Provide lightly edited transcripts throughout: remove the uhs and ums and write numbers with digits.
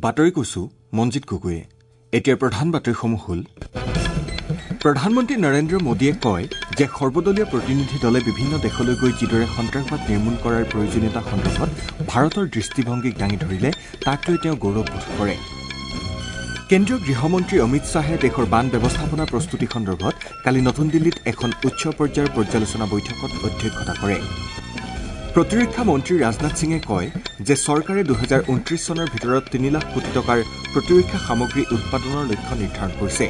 বাতৰি কৈছো মঞ্জিত গগৈয়ে। এতিয়াৰ প্ৰধান বাতৰিসমূহ হ'ল: প্ৰধানমন্ত্ৰী নৰেন্দ্ৰ মোদীয়ে কয় যে সৰ্বদলীয় প্ৰতিনিধি দলে বিভিন্ন দেশলৈ গৈ যিদৰে সন্ত্ৰাসবাদ নিৰ্মূল কৰাৰ প্ৰয়োজনীয়তা সন্দৰ্ভত ভাৰতৰ দৃষ্টিভংগীক দাঙি ধৰিলে তাক লৈ তেওঁ গৌৰৱবোধ কৰে। কেন্দ্ৰীয় গৃহমন্ত্ৰী অমিত শ্বাহে দেশৰ বান ব্যৱস্থাপনা প্ৰস্তুতি সন্দৰ্ভত কালি নতুন দিল্লীত এখন উচ্চ পৰ্যায়ৰ পৰ্যালোচনা বৈঠকত অধ্যক্ষতা কৰে। প্ৰতিৰক্ষা মন্ত্ৰী ৰাজনাথ সিঙে কয় যে চৰকাৰে 2029 চনৰ ভিতৰত 3 লাখ কোটি টকাৰ প্ৰতিৰক্ষা সামগ্ৰী উৎপাদনৰ লক্ষ্য নিৰ্ধাৰণ কৰিছে।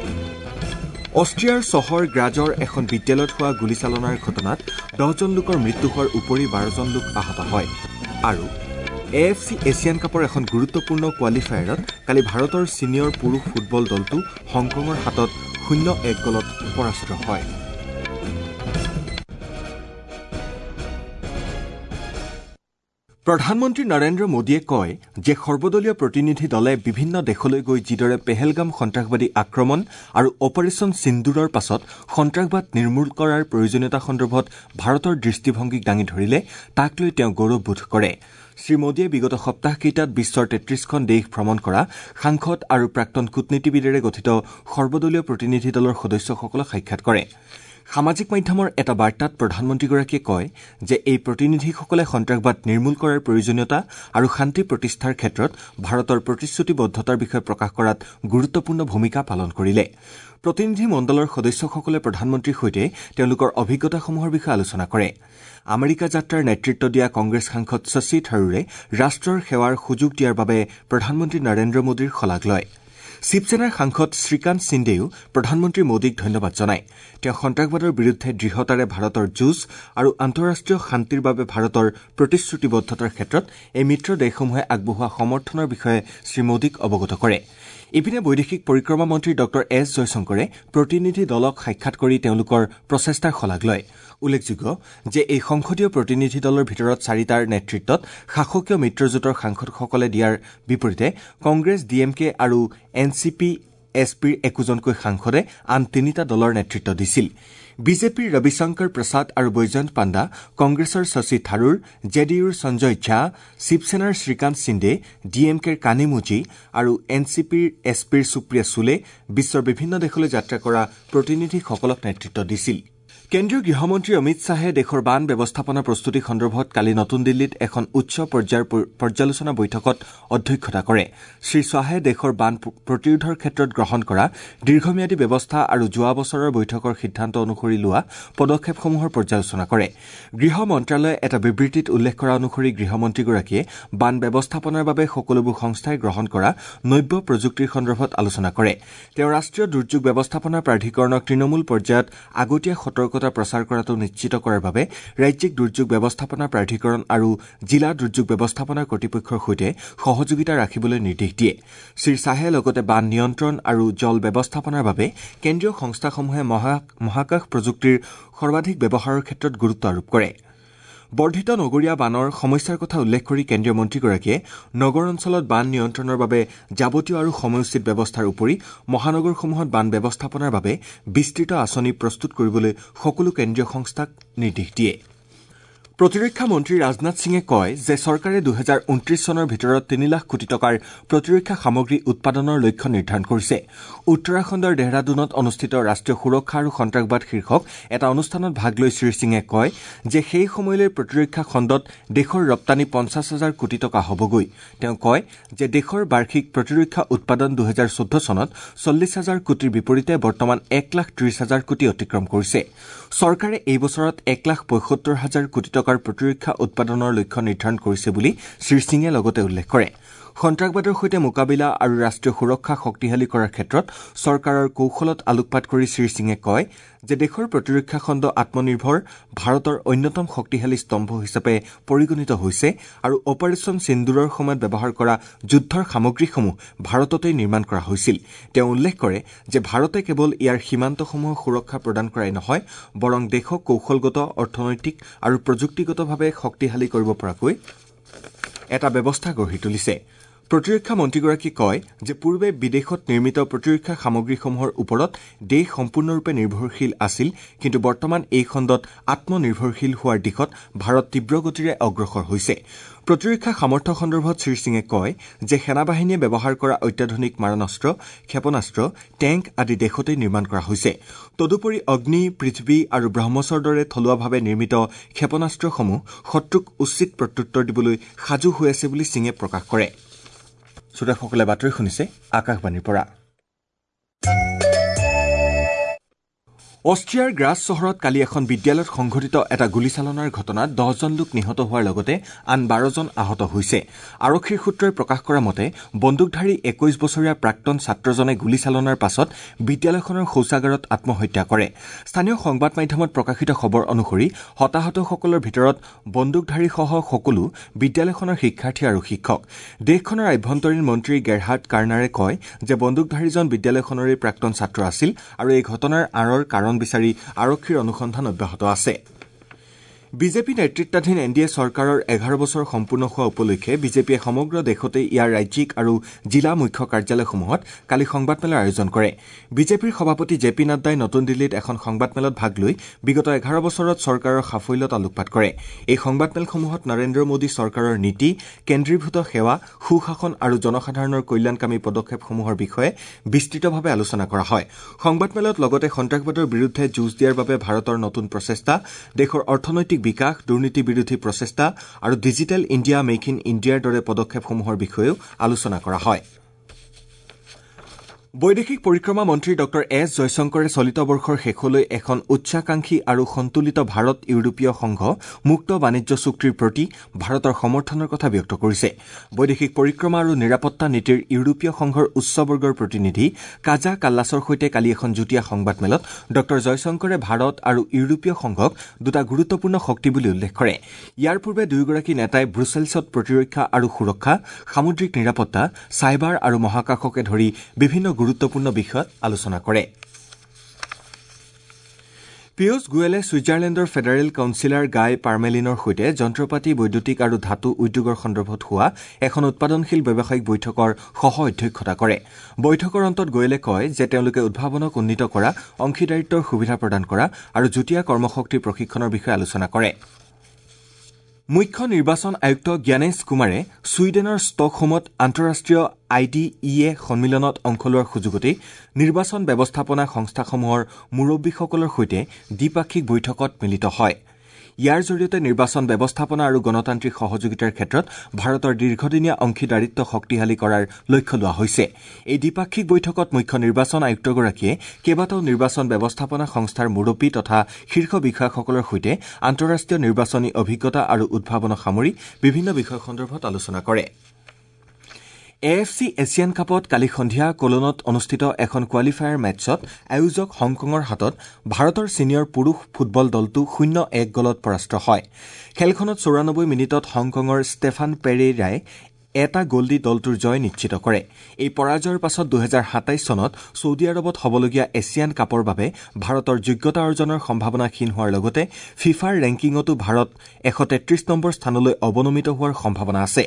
অষ্ট্ৰিয়াৰ চহৰ গ্ৰাজৰ এখন বিদ্যালয়ত হোৱা গুলীচালনাৰ ঘটনাত 10জন লোকৰ মৃত্যু হোৱাৰ উপৰি 12জন লোক আহত হয়। আৰু AFC Asian কাপৰ এখন গুৰুত্বপূৰ্ণ কোৱালিফায়াৰত কালি ভাৰতৰ ছিনিয়ৰ পুৰুষ ফুটবল দলটো হংকঙৰ হাতত 0-1 গ'লত পৰাস্ত হয়। প্ৰধানমন্ত্ৰী নৰেন্দ্ৰ মোদীয়ে কয় যে সৰ্বদলীয় প্ৰতিনিধি দলে বিভিন্ন দেশলৈ গৈ যিদৰে পেহেলগাম সন্ত্ৰাসবাদী আক্ৰমণ আৰু অপাৰেচন সিন্দুৰৰ পাছত সন্ত্ৰাসবাদ নিৰ্মূল কৰাৰ প্ৰয়োজনীয়তা সন্দৰ্ভত ভাৰতৰ দৃষ্টিভংগীক দাঙি ধৰিলে তাক লৈ তেওঁ গৌৰৱবোধ কৰে। শ্ৰীমোদীয়ে বিগত সপ্তাহকেইটাত বিশ্বৰ 33খন দেশ ভ্ৰমণ কৰা সাংসদ আৰু প্ৰাক্তন কূটনীতিবিদেৰে গঠিত সৰ্বদলীয় প্ৰতিনিধি দলৰ সদস্যসকলক সাক্ষাৎ কৰে। সামাজিক মাধ্যমৰ এটা বাৰ্তাত প্ৰধানমন্ত্ৰীগৰাকীয়ে কয় যে এই প্ৰতিনিধিসকলে সন্ত্ৰাসবাদ নিৰ্মূল কৰাৰ প্ৰয়োজনীয়তা আৰু শান্তি প্ৰতিষ্ঠাৰ ক্ষেত্ৰত ভাৰতৰ প্ৰতিশ্ৰুতিবদ্ধতাৰ বিষয়ে প্ৰকাশ কৰাত গুৰুত্বপূৰ্ণ ভূমিকা পালন কৰিলে। প্ৰতিনিধি মণ্ডলৰ সদস্যসকলে প্ৰধানমন্ত্ৰীৰ সৈতে তেওঁলোকৰ অভিজ্ঞতাসমূহৰ বিষয়ে আলোচনা কৰে। আমেৰিকা যাত্ৰাৰ নেতৃত্ব দিয়া কংগ্ৰেছ সাংসদ শশী থাৰুৰে ৰাষ্ট্ৰৰ সেৱাৰ সুযোগ দিয়াৰ বাবে প্ৰধানমন্ত্ৰী নৰেন্দ্ৰ মোদীৰ শলাগ লয়। শিৱসেনাৰ সাংসদ শ্ৰীকান্ত সিন্দেও প্ৰধানমন্ত্ৰী মোদীক ধন্যবাদ জনায়। তেওঁ সন্ত্ৰাসবাদৰ বিৰুদ্ধে দৃঢ়তাৰে ভাৰতৰ যুঁজ আৰু আন্তঃৰাষ্ট্ৰীয় শান্তিৰ বাবে ভাৰতৰ প্ৰতিশ্ৰুতিবদ্ধতাৰ ক্ষেত্ৰত এই মিত্ৰ দেশসমূহে আগবঢ়োৱা সমৰ্থনৰ বিষয়ে শ্ৰীমোদীক অৱগত কৰে। ইপিনে বৈদেশিক পৰিক্ৰমা মন্ত্ৰী ডঃ এছ জয়শংকৰে প্ৰতিনিধি দলক সাক্ষাৎ কৰি তেওঁলোকৰ প্ৰচেষ্টাৰ শলাগ লয়। উল্লেখযোগ্য যে এই সংসদীয় প্ৰতিনিধি দলৰ ভিতৰত 4টাৰ নেতৃত্বত শাসকীয় মিত্ৰজোঁটৰ সাংসদসকলে দিয়াৰ বিপৰীতে কংগ্ৰেছ, ডি এম কে আৰু এন চি পি এছ পিৰ একোজনকৈ সাংসদে আন 3টা দলৰ নেতৃত্ব দিছিল। বিজেপিৰ ৰবিশংকৰ প্ৰসাদ আৰু বৈজয়ন্ত পাণ্ডা, কংগ্ৰেছৰ শশী থাৰুৰ, জে ডি ইউৰ সঞ্জয় ঝা, শিৱসেনাৰ শ্ৰীকান্ত সিন্দে, ডি এম কেৰ কানিমুজি আৰু এন চি পিৰ এছ পিৰ সুপ্ৰিয়া চুলে বিশ্বৰ বিভিন্ন দেশলৈ যাত্ৰা কৰা প্ৰতিনিধিসকলক নেতৃত্ব দিছিল। কেন্দ্ৰীয় গৃহমন্ত্ৰী অমিত শ্বাহে দেশৰ বান ব্যৱস্থাপনা প্ৰস্তুতি সন্দৰ্ভত কালি নতুন দিল্লীত এখন উচ্চ পৰ্যায়ৰ পৰ্যালোচনা বৈঠকত অধ্যক্ষতা কৰে। শ্ৰী শ্বাহে দেশৰ বান প্ৰতিৰোধৰ ক্ষেত্ৰত গ্ৰহণ কৰা দীৰ্ঘম্যাদী ব্যৱস্থা আৰু যোৱা বছৰৰ বৈঠকৰ সিদ্ধান্ত অনুসৰি লোৱা পদক্ষেপসমূহৰ পৰ্যালোচনা কৰে। গৃহ মন্ত্ৰালয়ে এটা বিবৃতিত উল্লেখ কৰা অনুসৰি গৃহমন্ত্ৰীগৰাকীয়ে বান ব্যৱস্থাপনাৰ বাবে সকলোবোৰ সংস্থাই গ্ৰহণ কৰা নব্য প্ৰযুক্তিৰ সন্দৰ্ভত আলোচনা কৰে। তেওঁ ৰাষ্ট্ৰীয় দুৰ্যোগ ব্যৱস্থাপনা প্ৰাধিকৰণক তৃণমূল পৰ্যায়ত আগতীয়া সতৰ্কতা প্ৰচাৰ কৰাটো নিশ্চিত কৰাৰ বাবে ৰাজ্যিক দুৰ্যোগ ব্যৱস্থাপনা প্ৰাধিকৰণ আৰু জিলা দুৰ্যোগ ব্যৱস্থাপনা কৰ্তৃপক্ষৰ সৈতে সহযোগিতা ৰাখিবলৈ নিৰ্দেশ দিয়ে। শ্ৰী শ্বাহে লগতে বান নিয়ন্ত্ৰণ আৰু জল ব্যৱস্থাপনাৰ বাবে কেন্দ্ৰীয় সংস্থাসমূহে মহাকাশ প্ৰযুক্তিৰ সৰ্বাধিক ব্যৱহাৰৰ ক্ষেত্ৰত গুৰুত্ব আৰোপ কৰে। বৰ্ধিত নগৰীয়া বানৰ সমস্যাৰ কথা উল্লেখ কৰি কেন্দ্ৰীয় মন্ত্ৰীগৰাকীয়ে নগৰ অঞ্চলত বান নিয়ন্ত্ৰণৰ বাবে যাৱতীয় আৰু সময়োচিত ব্যৱস্থাৰ উপৰি মহানগৰসমূহত বান ব্যৱস্থাপনাৰ বাবে বিস্তৃত আঁচনি প্ৰস্তুত কৰিবলৈ সকলো কেন্দ্ৰীয় সংস্থাক নিৰ্দেশ দিয়ে। প্ৰতিৰক্ষা মন্ত্ৰী ৰাজনাথ সিঙে কয় যে চৰকাৰে 2029 চনৰ ভিতৰত 3 লাখ কোটি টকাৰ প্ৰতিৰক্ষা সামগ্ৰী উৎপাদনৰ লক্ষ্য নিৰ্ধাৰণ কৰিছে। উত্তৰাখণ্ডৰ দেহৰাদুনত অনুষ্ঠিত ৰাষ্ট্ৰীয় সুৰক্ষা আৰু সন্ত্ৰাসবাদ শীৰ্ষক এটা অনুষ্ঠানত ভাগ লৈ শ্ৰীসিঙে কয় যে সেই সময়লৈ প্ৰতিৰক্ষা খণ্ডত দেশৰ ৰপ্তানি 50 হাজাৰ কোটি টকা হ'বগৈ। তেওঁ কয় যে দেশৰ বাৰ্ষিক প্ৰতিৰক্ষা উৎপাদন 2014 চনত 40 হাজাৰ কোটিৰ বিপৰীতে বৰ্তমান 1,30,000 কোটি অতিক্ৰম কৰিছে। চৰকাৰে এই বছৰত 1,75,000 কোটি টকাৰ প্ৰতিৰক্ষা উৎপাদনৰ লক্ষ্য নিৰ্ধাৰণ কৰিছে বুলি শ্ৰীসিঙে লগতে উল্লেখ কৰে। সন্ত্ৰাসবাদৰ সৈতে মোকাবিলা আৰু ৰাষ্ট্ৰীয় সুৰক্ষা শক্তিশালী কৰাৰ ক্ষেত্ৰত চৰকাৰৰ কৌশলত আলোকপাত কৰি শ্ৰীসিঙে কয় যে দেশৰ প্ৰতিৰক্ষা খণ্ড আত্মনিৰ্ভৰ ভাৰতৰ অন্যতম শক্তিশালী স্তম্ভ হিচাপে পৰিগণিত হৈছে আৰু অপাৰেচন সিন্দুৰৰ সময়ত ব্যৱহাৰ কৰা যুদ্ধৰ সামগ্ৰীসমূহ ভাৰততেই নিৰ্মাণ কৰা হৈছিল। তেওঁ উল্লেখ কৰে যে ভাৰতে কেৱল ইয়াৰ সীমান্তসমূহৰ সুৰক্ষা প্ৰদান কৰাই নহয়, বৰং দেশক কৌশলগত, অৰ্থনৈতিক আৰু প্ৰযুক্তিগতভাৱে শক্তিশালী কৰিব পৰাকৈ এটা ব্যৱস্থা গঢ়ি তুলিছে। প্ৰতিৰক্ষা মন্ত্ৰীগৰাকীয়ে কয় যে পূৰ্বে বিদেশত নিৰ্মিত প্ৰতিৰক্ষা সামগ্ৰীসমূহৰ ওপৰত দেশ সম্পূৰ্ণৰূপে নিৰ্ভৰশীল আছিল, কিন্তু বৰ্তমান এই খণ্ডত আত্মনিৰ্ভৰশীল হোৱাৰ দিশত ভাৰত তীব্ৰ গতিৰে অগ্ৰসৰ হৈছে। প্ৰতিৰক্ষা সামৰ্থ্য সন্দৰ্ভত শ্ৰীসিঙে কয় যে সেনাবাহিনীয়ে ব্যৱহাৰ কৰা অত্যাধুনিক মাৰণাস্ত্ৰ, ক্ষেপণাস্ত্ৰ, টেংক আদি দেশতেই নিৰ্মাণ কৰা হৈছে। তদুপৰি অগ্নি, পৃথিৱী আৰু ব্ৰহ্মছৰ দৰে থলুৱাভাৱে নিৰ্মিত ক্ষেপণাস্ত্ৰসমূহ শত্ৰুক উচিত প্ৰত্যুত্তৰ দিবলৈ সাজু হৈ আছে বুলি সিঙে প্ৰকাশ কৰে। শ্ৰোতাসকলে বাতৰি শুনিছে আকাশবাণীৰ পৰা। অষ্ট্ৰিয়াৰ গ্ৰাছ চহৰত কালি এখন বিদ্যালয়ত সংঘটিত এটা গুলীচালনাৰ ঘটনাত 10জন লোক নিহত হোৱাৰ লগতে আন 12জন আহত হৈছে। আৰক্ষীৰ সূত্ৰই প্ৰকাশ কৰা মতে বন্দুকধাৰী 21 বছৰীয়া প্ৰাক্তন ছাত্ৰজনে গুলীচালনাৰ পাছত বিদ্যালয়খনৰ শৌচাগাৰত আত্মহত্যা কৰে। স্থানীয় সংবাদ মাধ্যমত প্ৰকাশিত খবৰ অনুসৰি হতাহতসকলৰ ভিতৰত বন্দুকধাৰীসহ সকলো বিদ্যালয়খনৰ শিক্ষাৰ্থী আৰু শিক্ষক। দেশখনৰ আভ্যন্তৰীণ মন্ত্ৰী গেৰহাৰ্ড কাৰ্নাৰে কয় যে বন্দুকধাৰীজন বিদ্যালয়খনৰে প্ৰাক্তন ছাত্ৰ আছিল আৰু এই ঘটনাৰ আঁৰৰ কাৰণ বিচাৰি আৰক্ষীৰ অনুসন্ধান অব্যাহত আছে। বিজেপি নেতৃত্বাধীন এন ডি এ চৰকাৰৰ 11 বছৰ সম্পূৰ্ণ হোৱা উপলক্ষে বিজেপিয়ে সমগ্ৰ দেশতে ইয়াৰ ৰাজ্যিক আৰু জিলা মুখ্য কাৰ্যালয়সমূহত কালি সংবাদমেলৰ আয়োজন কৰে। বিজেপিৰ সভাপতি জে পি নাড্ডাই নতুন দিল্লীত এখন সংবাদমেলত ভাগ লৈ বিগত 11 বছৰত চৰকাৰৰ সাফল্যত আলোকপাত কৰে। এই সংবাদমেলসমূহত নৰেন্দ্ৰ মোদী চৰকাৰৰ নীতি, কেন্দ্ৰীভূত সেৱা, সুশাসন আৰু জনসাধাৰণৰ কল্যাণকামী পদক্ষেপসমূহৰ বিষয়ে বিস্তৃতভাৱে আলোচনা কৰা হয়। সংবাদমেলত লগতে সন্ত্ৰাসবাদৰ বিৰুদ্ধে যুঁজ দিয়াৰ বাবে ভাৰতৰ নতুন প্ৰচেষ্টা, দেশৰ অৰ্থনৈতিক বিকাশ, দুৰ্নীতি বিৰোধী প্ৰচেষ্টা আৰু ডিজিটেল ইণ্ডিয়া, মেক ইন ইণ্ডিয়াৰ দৰে পদক্ষেপসমূহৰ বিষয়েও আলোচনা কৰা হয়। বৈদেশিক পৰিক্ৰমা মন্ত্ৰী ডঃ এছ জয়শংকৰে চলিত বৰ্ষৰ শেষলৈ এখন উচ্চাকাংক্ষী আৰু সন্তুলিত ভাৰত ইউৰোপীয় সংঘ মুক্ত বাণিজ্য চুক্তিৰ প্ৰতি ভাৰতৰ সমৰ্থনৰ কথা ব্যক্ত কৰিছে। বৈদেশিক পৰিক্ৰমা আৰু নিৰাপত্তা নীতিৰ ইউৰোপীয় সংঘৰ উচ্চবৰ্গৰ প্ৰতিনিধি কাজা কাল্লাছৰ সৈতে কালি এখন যুটীয়া সংবাদমেলত ডঃ জয়শংকৰে ভাৰত আৰু ইউৰোপীয় সংঘক দুটা গুৰুত্বপূৰ্ণ শক্তি বুলি উল্লেখ কৰে। ইয়াৰ পূৰ্বে দুয়োগৰাকী নেতাই ব্ৰুছেলছত প্ৰতিৰক্ষা আৰু সুৰক্ষা, সামুদ্ৰিক নিৰাপত্তা, চাইবাৰ আৰু মহাকাশকে ধৰি বিভিন্ন গুৰুত্বপূৰ্ণ বিষয়ত আলোচনা কৰে। পীয়ুষ গোৱেলে ছুইজাৰলেণ্ডৰ ফেডাৰেল কাউন্সিলাৰ গাই পাৰ্মেলিনৰ সৈতে যন্ত্ৰপাতি, বৈদ্যুতিক আৰু ধাতু উদ্যোগৰ সন্দৰ্ভত হোৱা এখন উৎপাদনশীল ব্যৱসায়িক বৈঠকৰ সহ অধ্যক্ষতা কৰে। বৈঠকৰ অন্তত গোৱেলে কয় যে তেওঁলোকে উদ্ভাৱনক উন্নীত কৰা, অংশীদাৰিত্বৰ সুবিধা প্ৰদান কৰা আৰু যুটীয়া কৰ্মশক্তিৰ প্ৰশিক্ষণৰ বিষয়ে আলোচনা কৰে। মুখ্য নিৰ্বাচন আয়ুক্ত জ্ঞানেশ কুমাৰে ছুইডেনৰ ষ্টকহোমত আন্তঃৰাষ্ট্ৰীয় আই ডি ই এ সন্মিলনত অংশ লোৱাৰ সুযোগতেই নিৰ্বাচন ব্যৱস্থাপনা সংস্থাসমূহৰ মুৰব্বীসকলৰ সৈতে দ্বিপাক্ষিক বৈঠকত মিলিত হয়। ইয়াৰ জৰিয়তে নিৰ্বাচন ব্যৱস্থাপনা আৰু গণতান্ত্ৰিক সহযোগিতাৰ ক্ষেত্ৰত ভাৰতৰ দীৰ্ঘদিনীয়া অংশীদাৰিত্ব শক্তিশালী কৰাৰ লক্ষ্য লোৱা হৈছে। এই দ্বিপাক্ষিক বৈঠকত মুখ্য নিৰ্বাচন আয়ুক্তগৰাকীয়ে কেইবাটাও নিৰ্বাচন ব্যৱস্থাপনা সংস্থাৰ মুৰব্বী তথা শীৰ্ষ বিষয়াসকলৰ সৈতে আন্তঃৰাষ্ট্ৰীয় নিৰ্বাচনী অভিজ্ঞতা আৰু উদ্ভাৱনক সামৰি বিভিন্ন বিষয় সন্দৰ্ভত আলোচনা কৰে। এ এফ চি এছিয়ান কাপত কালি সন্ধিয়া কোলনত অনুষ্ঠিত এখন কোৱালিফায়াৰ মেটছত আয়োজক হংকঙৰ হাতত ভাৰতৰ ছিনিয়ৰ পুৰুষ ফুটবল দলটো 0-1 গ'লত পৰাস্ত হয়। খেলখনত 94 মিনিটত হংকঙৰ ষ্টেফান পেৰেইৰাই এটা গ'ল দি দলটোৰ জয় নিশ্চিত কৰে। এই পৰাজয়ৰ পাছত 2027 চনত ছৌদি আৰৱত হ'বলগীয়া এছিয়ান কাপৰ বাবে ভাৰতৰ যোগ্যতা অৰ্জনৰ সম্ভাৱনা ক্ষীণ হোৱাৰ লগতে ফিফাৰ ৰেংকিঙতো ভাৰত 133 নম্বৰ স্থানলৈ অৱনমিত হোৱাৰ সম্ভাৱনা আছে।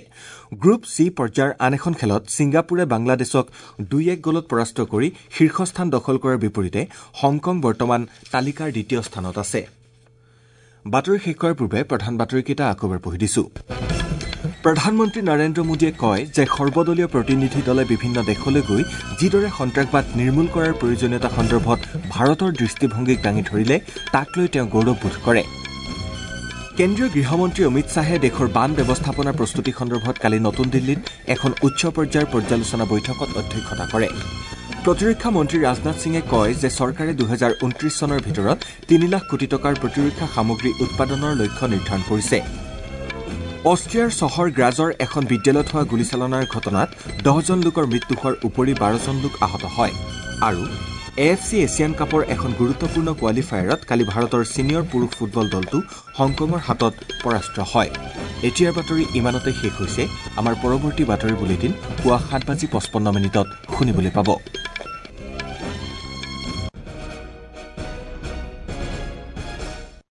গ্ৰুপ চি পৰ্যায়ৰ আন এখন খেলত ছিংগাপুৰে বাংলাদেশক 2-1 গ'লত পৰাস্ত কৰি শীৰ্ষস্থান দখল কৰাৰ বিপৰীতে হংকং বৰ্তমান তালিকাৰ দ্বিতীয় স্থানত আছে। বাতৰি শেষ কৰাৰ পূৰ্বে প্ৰধান বাতৰিকেইটা আকৌ এবাৰ পঢ়ি দিছো। প্ৰধানমন্ত্ৰী নৰেন্দ্ৰ মোদীয়ে কয় যে সৰ্বদলীয় প্ৰতিনিধি দলে বিভিন্ন দেশলৈ গৈ যিদৰে সন্ত্ৰাসবাদ নিৰ্মূল কৰাৰ প্ৰয়োজনীয়তা সন্দৰ্ভত ভাৰতৰ দৃষ্টিভংগীক দাঙি ধৰিলে তাক লৈ তেওঁ গৌৰৱবোধ কৰে। কেন্দ্ৰীয় গৃহমন্ত্ৰী অমিত শ্বাহে দেশৰ বান ব্যৱস্থাপনা প্ৰস্তুতি সন্দৰ্ভত কালি নতুন দিল্লীত এখন উচ্চ পৰ্যায়ৰ পৰ্যালোচনা বৈঠকত অধ্যক্ষতা কৰে। প্ৰতিৰক্ষা মন্ত্ৰী ৰাজনাথ সিঙে কয় যে চৰকাৰে 2029 চনৰ ভিতৰত 3 লাখ কোটি টকাৰ প্ৰতিৰক্ষা সামগ্ৰী উৎপাদনৰ লক্ষ্য নিৰ্ধাৰণ কৰিছে। অষ্ট্ৰিয়াৰ চহৰ গ্ৰাজৰ এখন বিদ্যালয়ত হোৱা গুলীচালনাৰ ঘটনাত 10জন লোকৰ মৃত্যু হোৱাৰ উপৰি 12জন লোক আহত হয়। আৰু এ এফ চি এছিয়ান কাপৰ এখন গুৰুত্বপূৰ্ণ কোৱালিফায়াৰত কালি ভাৰতৰ ছিনিয়ৰ পুৰুষ ফুটবল দলটো হংকঙৰ হাতত পৰাস্ত হয়। এতিয়াৰ বাতৰি ইমানতে শেষ হৈছে। আমাৰ পৰৱৰ্তী বাতৰি বুলেটিন পুৱা 7:55 শুনিবলৈ পাব।